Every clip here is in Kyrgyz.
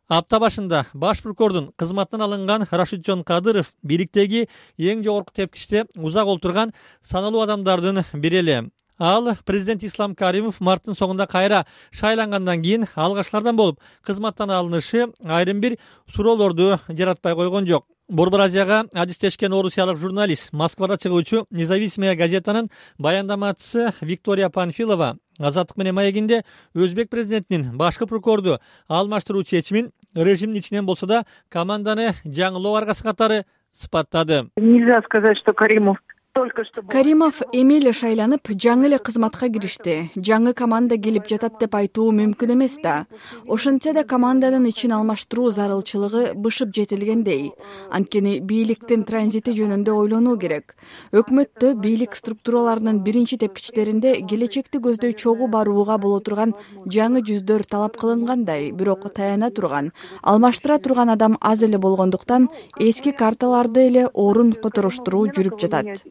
Апта башында баш прокурордун кызматтан алынган Рашиджон Кадыров бийликтеги эң жогорку тепкичте узак отурган саналуу адамдардын бири эле. Ал президент Ислам Каримов марттын соңунда кайра шайлангандан кийин алгачкылардан болуп кызматтан алынышы айрым бир суроолорду жаратпай койгон жок. Борбор Азияга адистешкен орусиялык журналист, Москвада чыгуучу Независимая газетанын баяндамачысы Виктория Панфилова Азаттык менен маегинде Өзбек президентинин башкы прокурорду алмаштыруу чечимин режимдин ичинен болсо да команданы жаңылоо аргасы катары сыпаттады. Нельзя сказать, что Каримов эми эле шайланып, жаңы эле кызматка киришти. Жаңы команда келип жатат деп айтуу мүмкүн эмес да. Ошентсе да команданын ичин алмаштыруу зарылчылыгы бышып жетилгендей. Анткени бийликтин транзити жөнүндө ойлонуу керек. Өкмөттө бийлик структураларынын биринчи тепкичтеринде келечекти көздөй чогуу барууга боло турган жаңы жүздөр талап кылынгандай, бирок таяна турган, алмаштыра турган адам аз эле болгондуктан эски карталарды эле орун которуштуруу жүрүп жатат.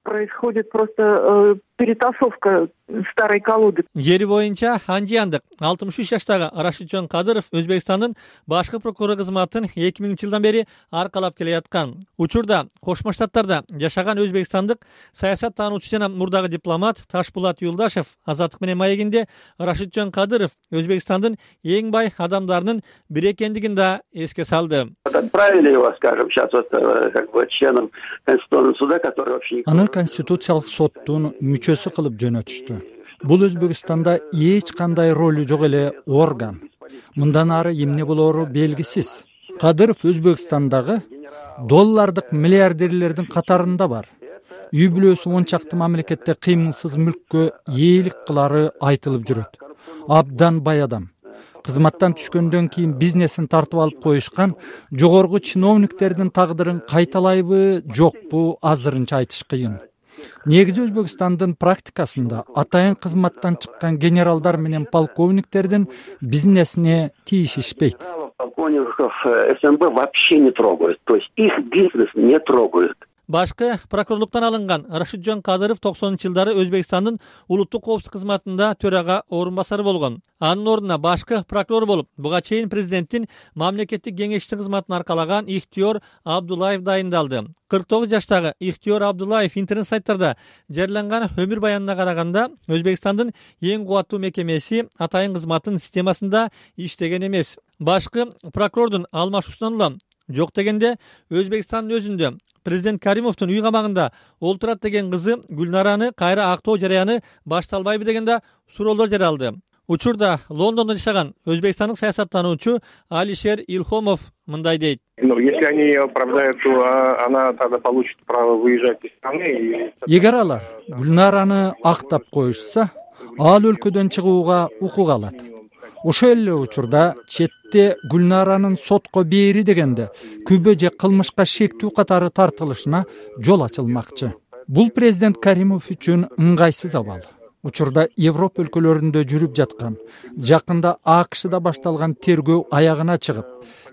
Происходит просто перетасовка старой колоды. Жери боюнча анжияндык 63 жаштагы Рашиджон Кадыров Өзбекстандын башкы прокурору кызматын 2000-жылдан бери аркалап келе жаткан. Учурда Кошмо Штаттарда жашаган өзбекстандык саясат таануучу жана мурдагы дипломат Ташпулат Юлдашев Азаттык менен маегинде Рашиджон Кадыров Өзбекстандын эң бай адамдарынын бири экендигин да эске салды. Отправили его, скажем, сейчас вот как бы членом Конституционного суда, который вообще... Аны Конституциялык соттун мүчөсү кылып жөнөтүштү. Бул Өзбекстанда эч кандай ролу жок эле орган. Мындан ары эмне болоору белгисиз. Кадыров Өзбекстандагы доллардык миллиардерлердин катарында бар. Үй бүлөсү 10 чакты мамлекетте кыймылсыз мүлккө ээлик кылары айтылып жүрөт. Абдан бай адам. Кызматтан түшкөндөн кийин бизнесин тартып алып коюшкан жогорку чиновниктердин тагдырын кайталайбы, жокпу азырынча айтыш кыйын. Негизи Өзбекстандын практикасында атайын кызматтан чыккан генералдар менен полковниктердин бизнесине тиешишпейт. Полковников СМБ вообще не трогают, то есть их бизнес не трогают. Башкы прокурорлуктан алынган Рашиджон Кадыров 90-жылдары Өзбекстандын улуттук коопсуздук кызматында төрага орун басары болгон. Анын ордуна башкы прокурор болуп, буга чейин президенттин мамлекеттик кеңешчиси кызматын аркалаган Ихтиёр Абдуллаев дайындалды. 49 жаштагы Ихтиёр Абдуллаев интернет сайттарда жарыяланган өмүр баянына караганда Өзбекстандын эң кубаттуу мекемеси атайын кызматтын системасында иштеген эмес. Башкы прокурордун алмашуусунан улам жок дегенде Өзбекстандын өзүндө президент Каримовдун үй камагында олтурат деген кызы Гүлнараны кайра актоо жараяны башталбайбы деген да суроолор жаралды. Учурда Лондондо жашаган өзбекстандык саясаттануучу Алишер Илхомов мындай дейт. Если они оправдают, то она тогда получит право выезжать из страны. Эгер алар Гүлнараны актап коюшса, ал өлкөдөн чыгууга укук алат. Ошол эле учурда четте Гүлнаранын сотко бери дегенде күбө же кылмышка шектүү катары тартылышына жол ачылмакчы. Бул президент Каримов үчүн ыңгайсыз абал. Учурда Европа өлкөлөрүндө жүрүп жаткан, жакында АКШда башталган тергөө аягына чыгып,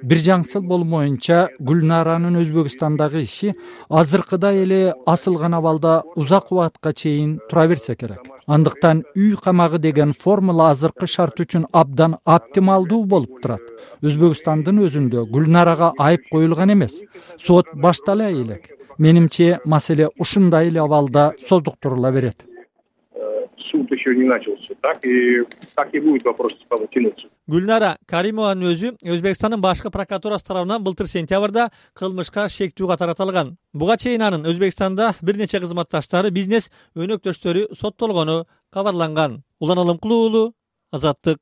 бир жаңсыл болмоюнча Гүлнаранын Өзбекстандагы иши азыркыдай эле асылган абалда узак убакытка чейин тура берсе керек. Андыктан үй камагы деген формула азыркы шарт үчүн абдан оптималдуу болуп турат. Өзбекстандын өзүндө Гүлнарага айып коюлган эмес. Сот баштала элек. Менимче маселе ушундай эле абалда создуктурула берет. Суд еще не начался, так и будет вопрос тянуться. Гүлнара Каримованын өзү Өзбекстандын башкы прокуратурасы тарабынан былтыр сентябрда кылмышка шектүү катары аталган. Буга чейин анын Өзбекстанда бир нече кызматташтары, бизнес өнөктөштөрү соттолгону кабарланган. Улан Алымкулуу, Азаттык.